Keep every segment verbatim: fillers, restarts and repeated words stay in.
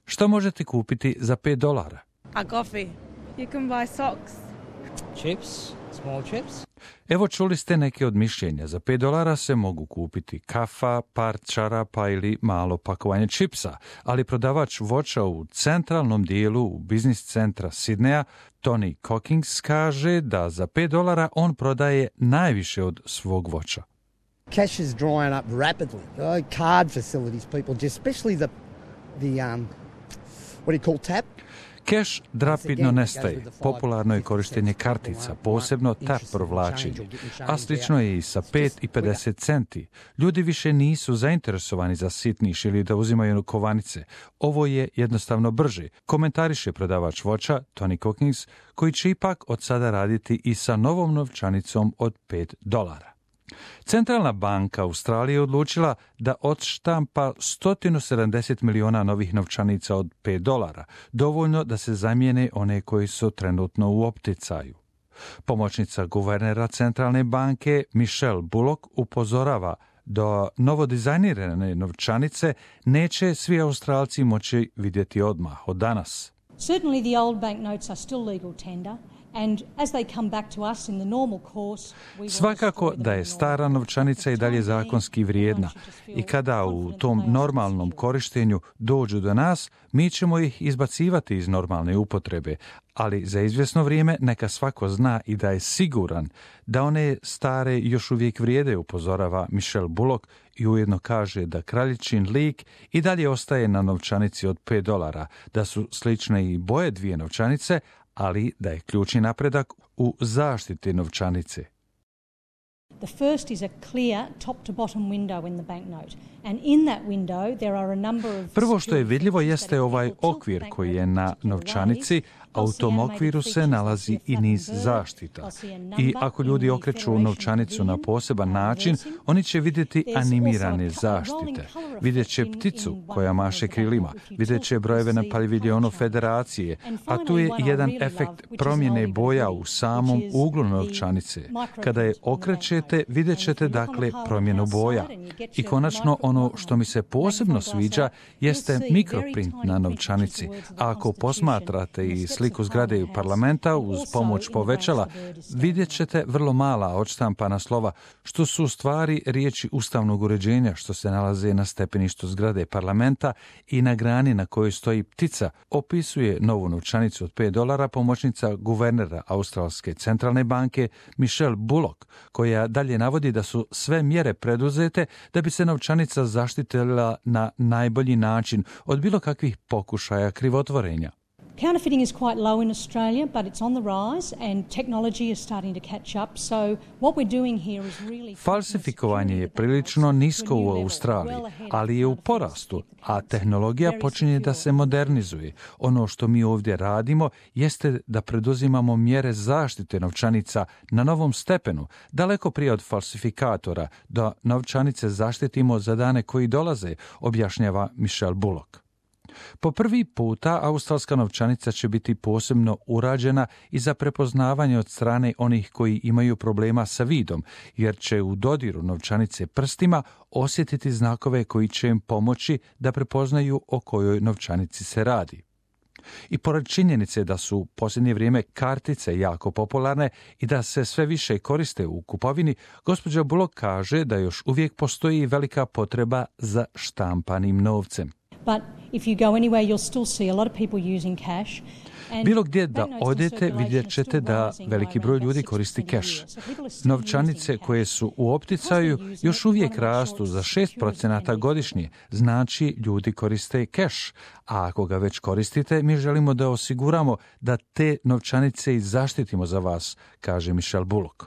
Što možete kupiti za pet dolara? A coffee. You can buy socks. Chips, small chips. Evo čuli ste neke od mišljenja. Za pet dolara se mogu kupiti kafa, par čarapa ili malo pakovanje čipsa, ali prodavač voća u centralnom dijelu u biznis centra Sidneja, Tony Cockings, kaže da za pet dolara on prodaje najviše od svog voća. Cash is drying up rapidly. Uh, card facilities, people, just especially the the um, what do you call tap? Keš rapidno nestaje. Popularno je korištenje kartica, posebno tap provlačenje, a slično je i sa pet i pedeset centi. Ljudi više nisu zainteresovani za sitniš ili da uzimaju kovanice. Ovo je jednostavno brže, komentariše prodavač voća Tony Cockings, koji će ipak od sada raditi i sa novom novčanicom od pet dolara. Centralna banka Australije je odlučila da odštampa sto sedamdeset miliona novih novčanica od pet dolara, dovoljno da se zamijene one koji su trenutno u opticaju. Pomoćnica guvernera Centralne banke Michelle Bullock upozorava da novodizajnirane novčanice neće svi Australci moći vidjeti odmah od danas. Certainly the old banknotes are still legal tender. And as they come back to us in the normal course, we Svakako da je stara novčanica i dalje zakonski vrijedna i kada u tom normalnom korištenju dođu do nas, mi ćemo ih izbacivati iz normalne upotrebe, ali za izvjesno vrijeme neka svako zna i da je siguran da one stare još uvijek vrijede, upozorava Michelle Bullock i ujedno kaže da kraljičin lik i dalje ostaje na novčanici od pet dolara, da su slične i boje dvije novčanice, ali da je ključni napredak u zaštiti novčanice. The first is a clear top to bottom window in the banknote. And in that window there are a number of Prvo što je vidljivo jeste ovaj okvir koji je na novčanici, a u tom okviru se nalazi i niz zaštita. I ako ljudi okreću novčanicu na poseban način, oni će vidjeti animirane zaštite. Vidjet će pticu koja maše krilima, vidjet će brojeve na paviljonu Federacije, a tu je jedan efekt promjene boja u samom uglu novčanice. Kada je okrećete, vidjet ćete dakle promjenu boja. I konačno ono što mi se posebno sviđa jeste mikroprint na novčanici. A ako posmatrate i sliku zgrade parlamenta uz pomoć povećala, vidjet ćete vrlo mala odštampana slova, što su u stvari riječi ustavnog uređenja što se nalaze na stepeništu zgrade parlamenta i na grani na kojoj stoji ptica, opisuje novu novčanicu od pet dolara pomoćnica guvernera Australske centralne banke Michelle Bullock, koja dalje navodi da su sve mjere preduzete da bi se novčanica zaštitila na najbolji način od bilo kakvih pokušaja krivotvorenja. Counterfeiting is quite low in Australia, but it's on the rise and technology is starting to catch up. So what we're doing here is really... Falsifikovanje je prilično nisko u Australiji, ali je u porastu, a tehnologija počinje da se modernizuje. Ono što mi ovdje radimo jeste da preduzimamo mjere zaštite novčanica na novom stepenu, daleko prije od falsifikatora, da novčanice zaštitimo za dane koji dolaze, objašnjava Michelle Bullock. Po prvi puta australska novčanica će biti posebno urađena i za prepoznavanje od strane onih koji imaju problema sa vidom, jer će u dodiru novčanice prstima osjetiti znakove koji će im pomoći da prepoznaju o kojoj novčanici se radi. I pored činjenice da su u posljednje vrijeme kartice jako popularne i da se sve više koriste u kupovini, gospođa Bullock kaže da još uvijek postoji velika potreba za štampanim novcem. But if you go anywhere, you'll still see a lot of people using cash. Bilo gdje da odete, vidjet ćete da veliki broj ljudi koristi keš. Novčanice koje su u opticaju još uvijek rastu za šest procenata godišnje, znači ljudi koriste keš. A ako ga već koristite, mi želimo da osiguramo da te novčanice i zaštitimo za vas, kaže Michelle Bullock.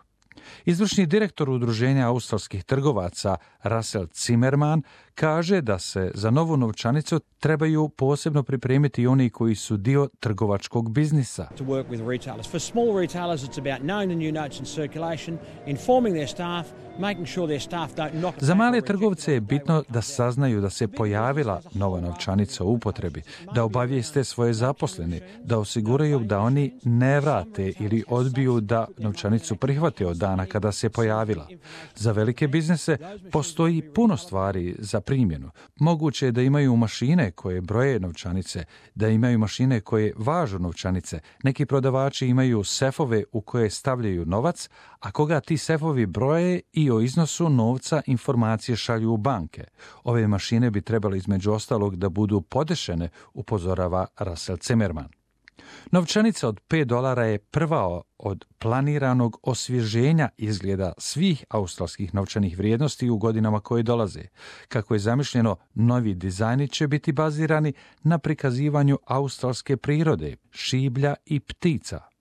Izvršni direktor Udruženja australskih trgovaca Russell Zimmerman kaže da se za novu novčanicu trebaju posebno pripremiti i oni koji su dio trgovačkog biznisa. To work with retailers. For small retailers it's about knowing the new notes in circulation, informing their staff, making sure their staff don't knock. Za male trgovce je bitno da saznaju da se pojavila nova novčanica u upotrebi, da obavijeste svoje zaposlene, da osiguraju da oni ne vrate ili odbiju da novčanicu prihvate od dana kada se pojavila. Za velike biznise postoji puno stvari za primjenu. Moguće je da imaju mašine koje broje novčanice, da imaju mašine koje važu novčanice. Neki prodavači imaju sefove u koje stavljaju novac, a koga ti sefovi broje i o iznosu novca informacije šalju u banke. Ove mašine bi trebali između ostalog da budu podešene, upozorava Russell Zimmerman. Novčanica od pet dolara je prva od planiranog osvježenja izgleda svih australskih novčanih vrijednosti u godinama koje dolaze. Kako je zamišljeno, novi dizajni će biti bazirani na prikazivanju australske prirode, šiblja i ptica.